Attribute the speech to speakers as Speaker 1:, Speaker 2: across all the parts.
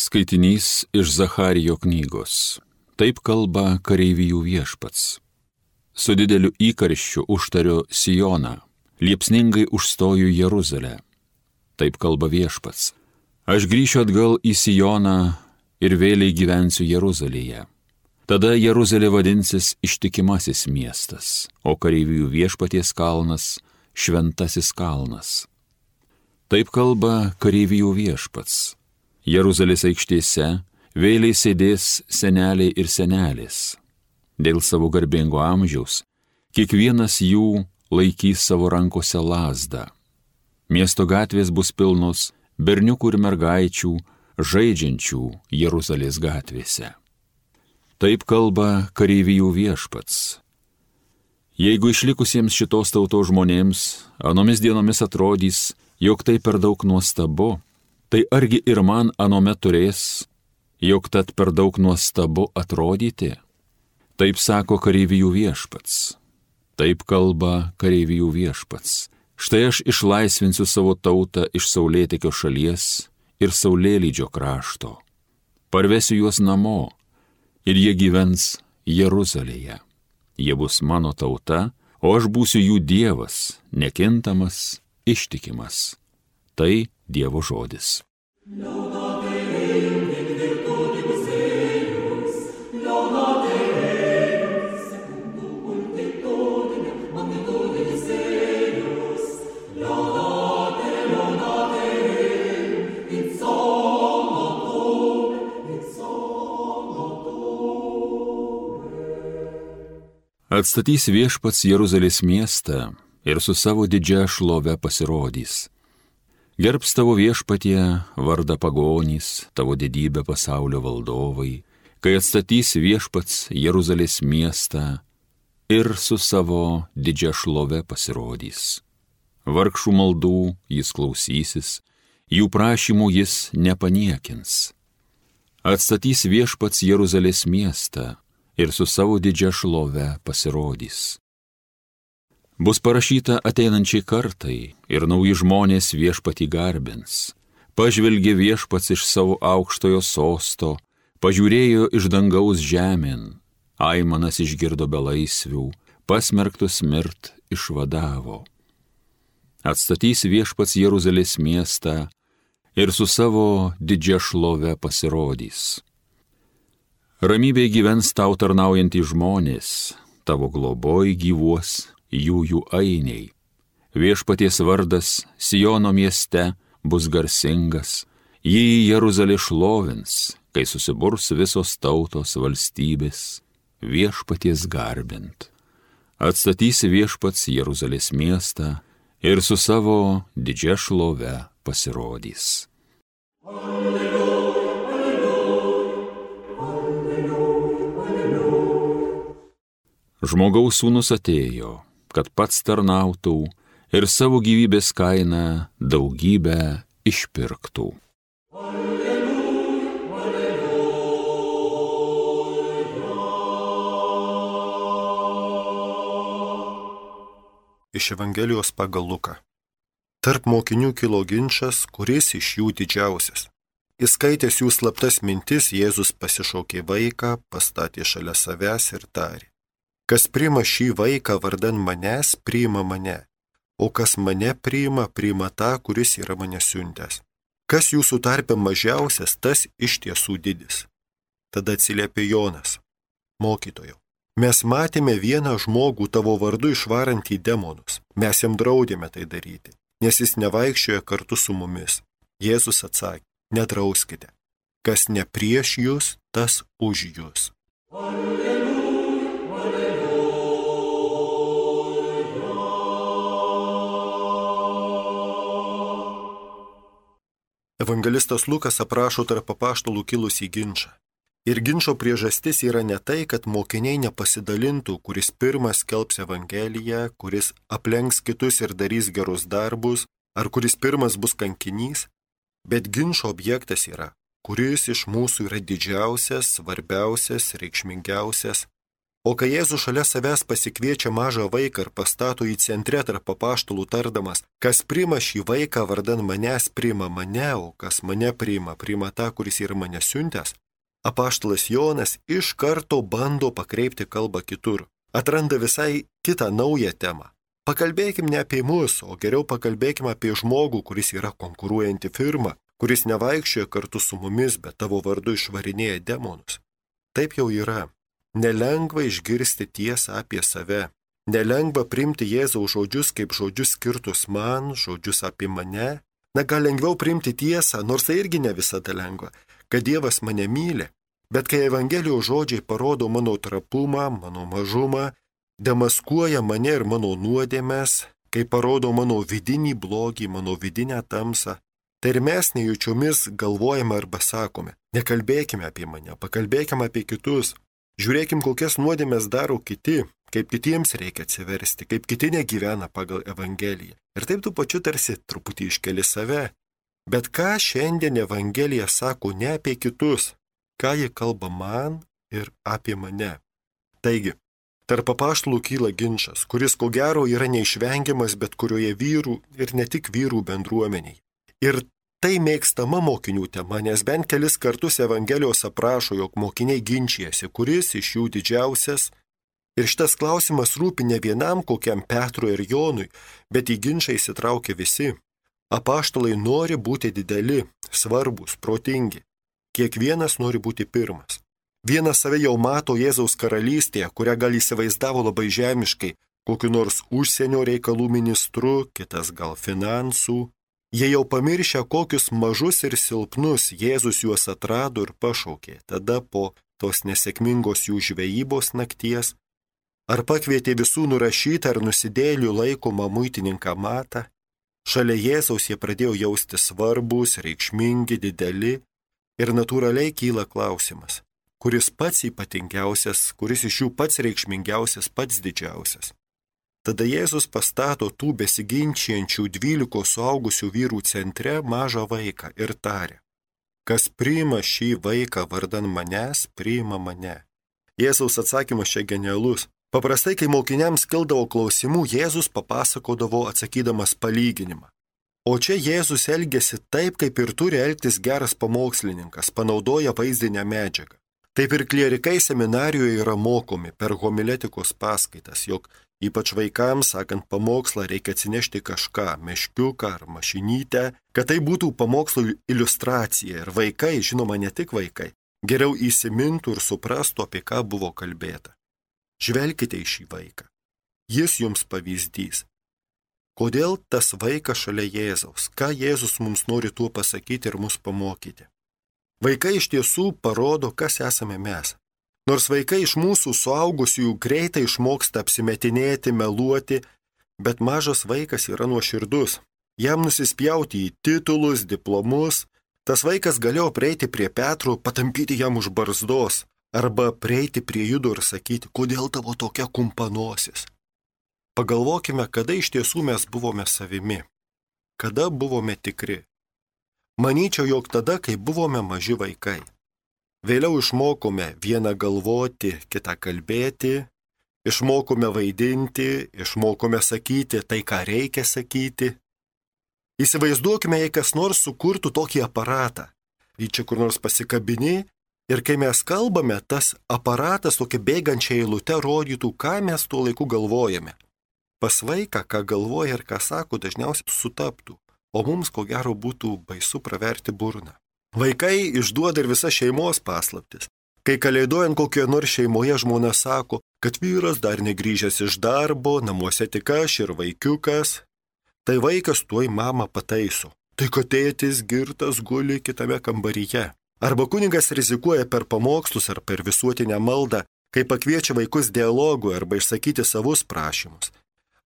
Speaker 1: Skaitinys iš Zacharijo knygos. Taip kalba kareivijų viešpats. Su dideliu įkarščiu užtariu Sioną, liepsningai užstoju Jeruzalę. Taip kalba viešpats. Aš grįšiu atgal į Sioną ir vėliai gyvensiu Jeruzalėje. Tada Jeruzalė vadinsis Ištikimasis miestas, o kareivijų viešpaties kalnas Šventasis kalnas. Taip kalba kareivijų viešpats. Jeruzalės aikštėse vėliai sėdės seneliai ir senelės. Dėl savo garbingo amžiaus kiekvienas jų laikys savo rankose lazdą. Miesto gatvės bus pilnos berniukų ir mergaičių, žaidžiančių Jeruzalės gatvėse. Taip kalba kareivijų viešpats. Jeigu išlikusiems šitos tautos žmonėms anomis dienomis atrodys, jog tai per daug nuostabu, tai argi ir man anomet turės, jog tad per daug nuostabu atrodyti? Taip sako kareivijų viešpats. Taip kalba kareivijų viešpats. Štai aš išlaisvinsiu savo tautą iš saulėtekio šalies ir saulėlydžio krašto. Parvesiu juos namo ir jie gyvens Jeruzalėje. Jie bus mano tauta, o aš būsiu jų Dievas, nekintamas, ištikimas. Tai Dievo žodis. Atstatys viešpats Jeruzalės miestą ir su savo didžia šlove pasirodys. Gerbs tavo viešpatie vardą pagonys, tavo didybę pasaulio valdovai, kai atstatys viešpats Jeruzalės miestą ir su savo didžia šlove pasirodys. Vargšų maldų jis klausysis, jų prašymų jis nepaniekins. Atstatys viešpats Jeruzalės miestą ir su savo didžia šlove pasirodys. Bus parašyta ateinančiai kartai ir nauji žmonės viešpatį garbins. Pažvelgė viešpats iš savo aukštojo sosto, pažiūrėjo iš dangaus žemėn, aimanas išgirdo belaisvių, pasmerktus mirt išvadavo. Atstatys viešpats Jeruzalės miestą ir su savo didžia šlove pasirodys. Ramybėj gyvens tau tarnaujantys žmonės, tavo globoj gyvuos jų ainiai. Viešpaties vardas Siono mieste bus garsingas, jį Jeruzalė šlovins, kai susiburs visos tautos valstybės viešpaties garbint. Atstatys viešpats Jeruzalės miestą ir su savo didžia šlove pasirodys. Žmogaus sūnus atėjo, kad pats tarnautų ir savo gyvybės kainą daugybę išpirktų.
Speaker 2: Iš Evangelijos pagal Luką. Tarp mokinių kilo ginčas, kuris iš jų didžiausias. Įskaitęs jų slaptas mintis, Jėzus pasišaukė vaiką, pastatė šalia savęs ir tarė: Kas priima šį vaiką vardan manęs, priima mane, o kas mane priima, priima tą, kuris yra mane siuntęs. Kas jūsų tarpe mažiausias, tas iš tiesų didis. Tada atsiliepė Jonas: Mokytojau, mes matėme vieną žmogų tavo vardu išvarantį demonus. Mes jam draudėme tai daryti, nes jis nevaikščioja kartu su mumis. Jėzus atsakė: Nedrauskite. Kas ne prieš jūs, tas už jūs. Evangelistas Lukas aprašo tarp apaštalų kilusį ginčą. Ir ginčo priežastis yra ne tai, kad mokiniai nepasidalintų, kuris pirmas skelbs Evangeliją, kuris aplenks kitus ir darys gerus darbus, ar kuris pirmas bus kankinys, bet ginčo objektas yra, kuris iš mūsų yra didžiausias, svarbiausias, reikšmingiausias. O kai Jėzus šalia savęs pasikviečia mažą vaiką ir pastato į centre tarp apaštalų tardamas, kas priima šį vaiką vardan manęs, priima mane, o kas mane priima, priima tą, kuris yra mane siuntęs, apaštalas Jonas iš karto bando pakreipti kalbą kitur. Atranda visai kitą naują temą. Pakalbėkim ne apie mus, o geriau pakalbėkim apie žmogų, kuris yra konkuruojanti firma, kuris nevaikščioja kartu su mumis, bet tavo vardu išvarinėja demonus. Taip jau yra. Nelengva išgirsti tiesą apie save. Nelengva priimti Jėzaus žodžius kaip žodžius skirtus man, žodžius apie mane. Na, gal lengviau priimti tiesą, nors tai irgi ne visada lengva, kad Dievas mane myli. Bet kai Evangelijos žodžiai parodo mano trapumą, mano mažumą, demaskuoja mane ir mano nuodėmes, kai parodo mano vidinį blogį, mano vidinę tamsą, tai ir mes nejučiomis galvojame arba sakome, nekalbėkime apie mane, pakalbėkime apie kitus. Žiūrėkim, kokias nuodėmes daro kiti, kaip kitiems reikia atsiversti, kaip kiti negyvena pagal Evangeliją. Ir taip tu pačiu tarsi truputį iškeli save. Bet ką šiandien Evangelija sako ne apie kitus, ką ji kalba man ir apie mane. Taigi, tarp apaštalų kyla ginčas, kuris ko gero yra neišvengiamas bet kurioje vyrų ir ne tik vyrų bendruomeniai. Ir tai mėgstama mokinių tema, nes bent kelis kartus Evangelijos aprašo, jog mokiniai ginčijasi, kuris iš jų didžiausias. Ir šitas klausimas rūpi ne vienam kokiam Petrui ir Jonui, bet į ginčą įsitraukia visi. Apaštalai nori būti dideli, svarbus, protingi. Kiekvienas nori būti pirmas. Vienas save jau mato Jėzaus karalystėje, kurią gal įsivaizdavo labai žemiškai, kokiu nors užsienio reikalų ministru, kitas gal finansų. Jie jau pamiršę, kokius mažus ir silpnus Jėzus juos atrado ir pašaukė, tada po tos nesėkmingos jų žvejybos nakties, ar pakvietė visų nurašytą ar nusidėlių laikomą muitininką Matą. Šalia Jėzaus jie pradėjo jausti svarbus, reikšmingi, dideli ir natūraliai kyla klausimas, kuris pats ypatingiausias, kuris iš jų pats reikšmingiausias, pats didžiausias. Tada Jėzus pastato tų besiginčiančių 12 suaugusių vyrų centre mažą vaiką ir tarė, kas priima šį vaiką vardan manęs, priima mane. Jėzaus atsakymas čia genialus. Paprastai, kai mokiniams kildavo klausimų, Jėzus papasakodavo atsakydamas palyginimą. O čia Jėzus elgėsi taip, kaip ir turi elgtis geras pamokslininkas, panaudoja vaizdinę medžiagą. Taip ir klierikai seminarijoje yra mokomi per homiletikos paskaitas, jog ypač vaikams, sakant pamokslą, reikia atsinešti kažką, meškiuką ar mašinytę, kad tai būtų pamokslo iliustracija ir vaikai, žinoma ne tik vaikai, geriau įsimintų ir suprastų, apie ką buvo kalbėta. Žvelkite į šį vaiką. Jis jums pavyzdys. Kodėl tas vaikas šalia Jėzaus? Ką Jėzus mums nori tuo pasakyti ir mus pamokyti? Vaikai iš tiesų parodo, kas esame mes. Nors vaikai iš mūsų suaugusiųjų greitai išmoksta apsimetinėti, meluoti, bet mažas vaikas yra nuoširdus. Jam nusispjauti į titulus, diplomus. Tas vaikas galėjo prieiti prie Petro, patampyti jam už barzdos, arba prieiti prie Judo ir sakyti, kodėl tavo tokia kumpanosis. Pagalvokime, kada iš tiesų mes buvome savimi, kada buvome tikri. Manyčiau, jog tada, kai buvome maži vaikai. Vėliau išmokome vieną galvoti, kitą kalbėti, išmokome vaidinti, išmokome sakyti tai, ką reikia sakyti. Įsivaizduokime, jei kas nors sukurtų tokį aparatą. Jį čia kur nors pasikabini ir kai mes kalbame, tas aparatas tokia bėgančia eilute rodytų, ką mes tuo laiku galvojame. Pas vaiką, ką galvoja ir ką sako, dažniausiai sutaptų, o mums ko gero būtų baisu praverti burną. Vaikai išduoda ir visas šeimos paslaptis. Kai kalėdojant kokioje nors šeimoje žmona sako, kad vyras dar negrįžęs iš darbo, namuose tik aš ir vaikiukas, tai vaikas tuoj mamą pataiso. Tai kad tėtis girtas guli kitame kambaryje. Arba kunigas rizikuoja per pamokslus ar per visuotinę maldą, kai pakviečia vaikus dialogui arba išsakyti savus prašymus.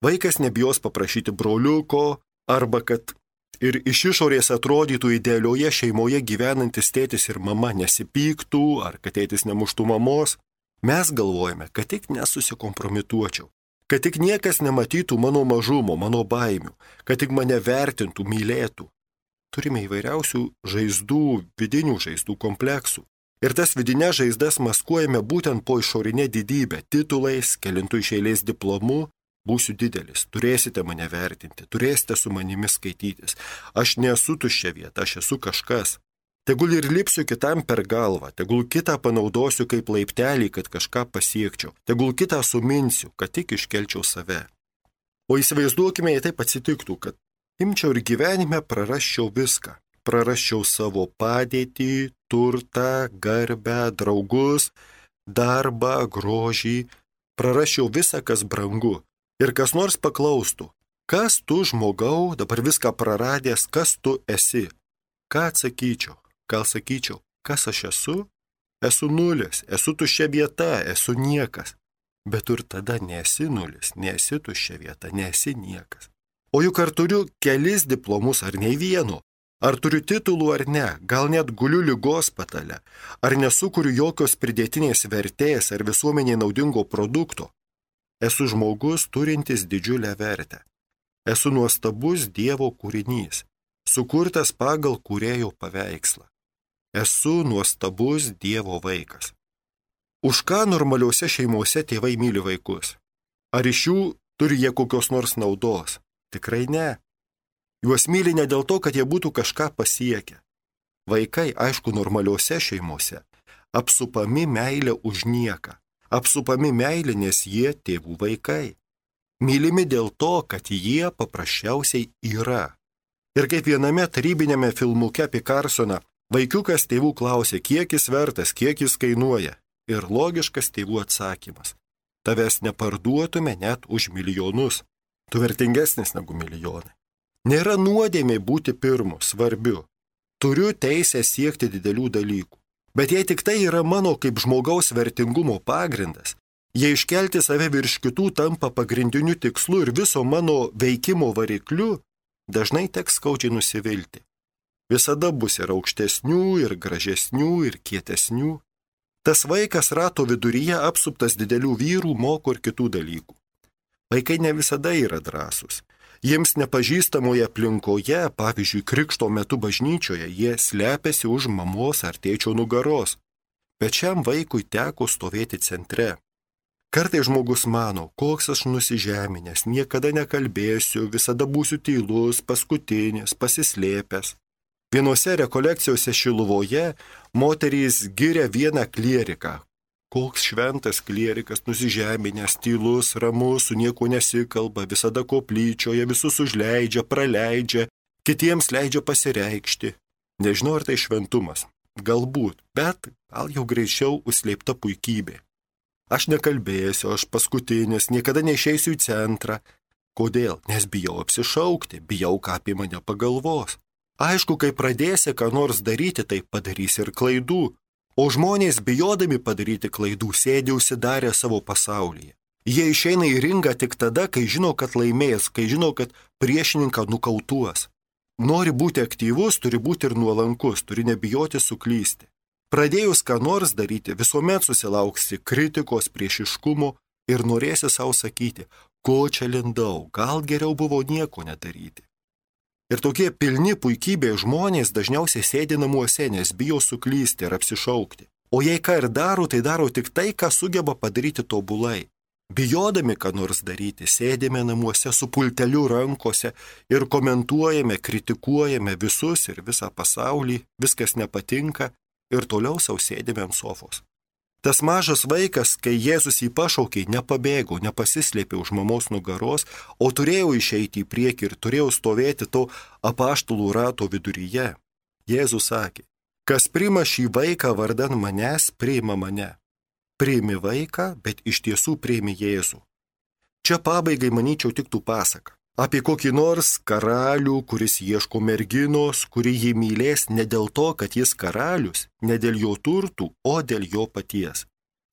Speaker 2: Vaikas nebijos paprašyti broliuko, arba kad ir iš išorės atrodytų idealioje šeimoje gyvenantis tėtis ir mama nesipyktų, ar kad tėtis nemuštų mamos. Mes galvojame, kad tik nesusikompromituočiau, kad tik niekas nematytų mano mažumo, mano baimių, kad tik mane vertintų, mylėtų. Turime įvairiausių žaizdų, vidinių žaizdų kompleksų. Ir tas vidinės žaizdas maskuojame būtent po išorinė didybė, titulais, kelintų iš eilės diplomu, būsiu didelis, turėsite mane vertinti, turėsite su manimi skaitytis. Aš nesu tuščia vieta, aš esu kažkas. Tegul ir lipsiu kitam per galvą, tegul kitą panaudosiu kaip laiptelį, kad kažką pasiekčiau, tegul kitą suminsiu, kad tik iškelčiau save. O įsivaizduokime, jei taip atsitiktų, kad imčiau ir gyvenime prarasčiau viską. Prarasčiau savo padėtį, turtą, garbę, draugus, darbą, grožį, prarasčiau visą, kas brangu. Ir kas nors paklaustų, kas tu žmogau, dabar viską praradęs, kas tu esi? Ką atsakyčiau? Gal sakyčiau, kas aš esu? Esu nulis, esu tuščia vieta, esu niekas. Bet tu ir tada nesi nulis, nesi tuščia vieta, nesi niekas. O juk ar turiu kelis diplomus ar nei vieno? Ar turiu titulų ar ne? Gal net guliu ligos patale? Ar nesukuriu jokios pridėtinės vertės ar visuomeniai naudingo produkto? Esu žmogus turintis didžiulę vertę. Esu nuostabus Dievo kūrinys, sukurtas pagal kūrėjo paveikslą. Esu nuostabus Dievo vaikas. Už ką normaliuose šeimose tėvai myli vaikus? Ar iš jų turi jie kokios nors naudos? Tikrai ne. Juos myli ne dėl to, kad jie būtų kažką pasiekę. Vaikai, aišku, normaliuose šeimose, apsupami meilę už nieką. Apsupami meilė, nes jie tėvų vaikai. Mylimi dėl to, kad jie paprasčiausiai yra. Ir kaip viename tarybinėme filmuke apie Carsoną, vaikiukas tėvų klausė, kiek jis vertas, kiek jis kainuoja. Ir logiškas tėvų atsakymas. Tavęs neparduotume net už milijonus. Tu vertingesnis negu milijonai. Nėra nuodėmė būti pirmu, svarbiu. Turiu teisę siekti didelių dalykų. Bet jei tik tai yra mano kaip žmogaus vertingumo pagrindas, jei iškelti save virš kitų tampa pagrindiniu tikslu ir viso mano veikimo varikliu, dažnai teks skaudžiai nusivilti. Visada bus ir aukštesnių, ir gražesnių, ir kietesnių. Tas vaikas rato viduryje apsuptas didelių vyrų moko ir kitų dalykų. Vaikai ne visada yra drąsūs. Jiems nepažįstamoje aplinkoje, pavyzdžiui, krikšto metu bažnyčioje, jie slepiasi už mamos ar tėčio nugaros. Bet šiam vaikui teko stovėti centre. Kartais žmogus mano, koks aš nusižeminęs, niekada nekalbėsiu, visada būsiu tylus, paskutinis, pasislėpęs. Vienose rekolekcijose Šiluvoje moterys giria vieną klieriką. Koks šventas klierikas, nusižeminęs, tylus, ramus, su nieko nesikalba, visada koplyčioje, visus užleidžia, praleidžia, kitiems leidžia pasireikšti. Nežinau, ar tai šventumas. Galbūt, bet gal jau greičiau užslėpta puikybė. Aš nekalbėsiu, aš paskutinis, niekada neišeisiu į centrą. Kodėl? Nes bijau apsišaukti, bijau, ką apie mane pagalvos. Aišku, kai pradėsi ką nors daryti, tai padarysi ir klaidų. O žmonės bijodami padaryti klaidų sėdi užsidarę savo pasaulyje. Jie išeina į ringą tik tada, kai žino, kad laimės, kai žino, kad priešininką nukautuos. Nori būti aktyvus, turi būti ir nuolankus, turi nebijoti suklysti. Pradėjus ką nors daryti, visuomet susilauksi kritikos, priešiškumo ir norėsi savo sakyti, ko čia lindau, gal geriau buvo nieko nedaryti. Ir tokie pilni puikybė žmonės dažniausiai sėdi namuose, nes bijo suklysti ir apsišaukti. O jei ką ir daro, tai daro tik tai, ką sugeba padaryti tobulai. Bijodami ką nors daryti, sėdime namuose su pulteliu rankose ir komentuojame, kritikuojame visus ir visą pasaulį, viskas nepatinka ir toliau sau sėdime ant sofos. Tas mažas vaikas, kai Jėzus jį pašaukė, nepabėgo, nepasislėpė už mamos nugaros, o turėjo išeiti į priekį ir turėjo stovėti to apaštalų rato viduryje. Jėzus sakė, kas priima šį vaiką vardan manęs, priima mane. Priimi vaiką, bet iš tiesų priimi Jėzų. Čia pabaigai, manyčiau, tiktų pasaka apie kokį nors karalių, kuris ieško merginos, kuri jį mylės ne dėl to, kad jis karalius, ne dėl jo turtų, o dėl jo paties.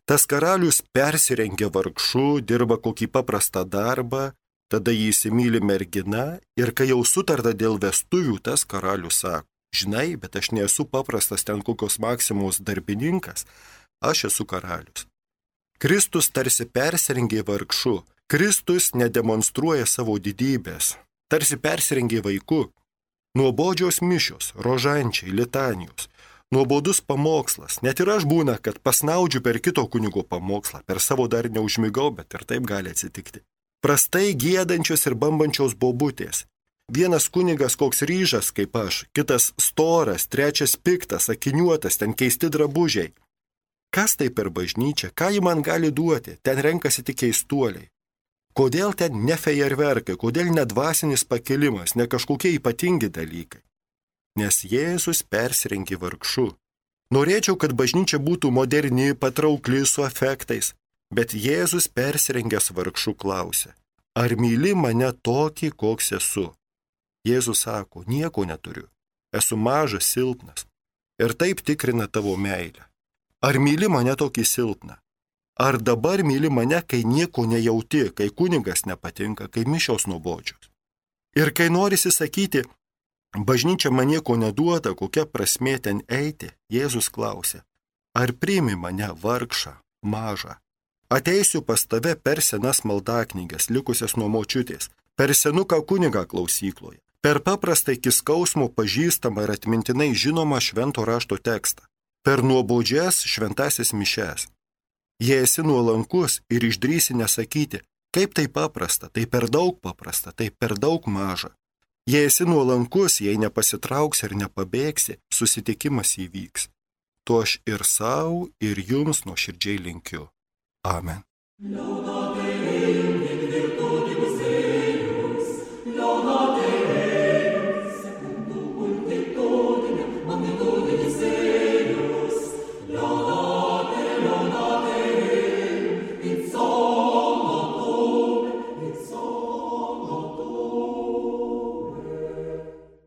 Speaker 2: Tas karalius persirengia vargšu, dirba kokį paprastą darbą, tada jį įsimyli mergina ir kai jau sutarta dėl vestuvių, tas karalius sako, žinai, bet aš nesu paprastas ten kokios Maksimos darbininkas, aš esu karalius. Kristus tarsi persirengė vargšu. Kristus nedemonstruoja savo didybės, tarsi persirengė vaiku. Nuobodžios mišios, rožančiai, litanijos, Nuobodus pamokslas. Net ir aš būna, kad pasnaudžiu per kito kunigo pamokslą. Per savo dar neužmigau, bet ir taip gali atsitikti. Prastai gėdančios ir bambančios bobutės. Vienas kunigas koks ryžas kaip aš, kitas storas, trečias piktas, akiniuotas, ten keisti drabužiai. Kas tai per bažnyčią? Ką ji man gali duoti? Ten renkasi tik keistuoliai. Kodėl ten ne fejerverkai, kodėl ne dvasinis pakilimas, ne kažkokie ypatingi dalykai? Nes Jėzus persirengė vargšu. Norėčiau, kad bažnyčia būtų moderni, patraukli su efektais, bet Jėzus persirengęs vargšu klausė, ar myli mane tokį, koks esu? Jėzus sako, nieko neturiu, esu mažas, silpnas. Ir taip tikrina tavo meilę. Ar myli mane tokį silpną? Ar dabar myli mane, kai nieko nejauti, kai kunigas nepatinka, kai mišios nuobodžios? Ir kai norisi sakyti, bažnyčia man nieko neduoda, kokia prasmė ten eiti, Jėzus klausė, ar priimi mane vargšą, mažą? Ateisiu pas tave per senas maldaknyges, likusias nuo močiutės, per senuką kunigą klausykloje, per paprastą iki skausmo pažįstamą ir atmintinai žinomą švento rašto tekstą, per nuobodžias šventasis mišes. Jei esi nuolankus ir išdrįsi nesakyti, kaip tai paprasta, tai per daug paprasta, tai per daug maža. Jei esi nuolankus, jei nepasitrauksi ir nepabėgsi, susitikimas įvyks. To aš ir savo, ir jums nuoširdžiai linkiu. Amen.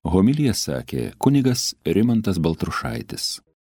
Speaker 1: Homiliją sakė kunigas Rimantas Baltrušaitis.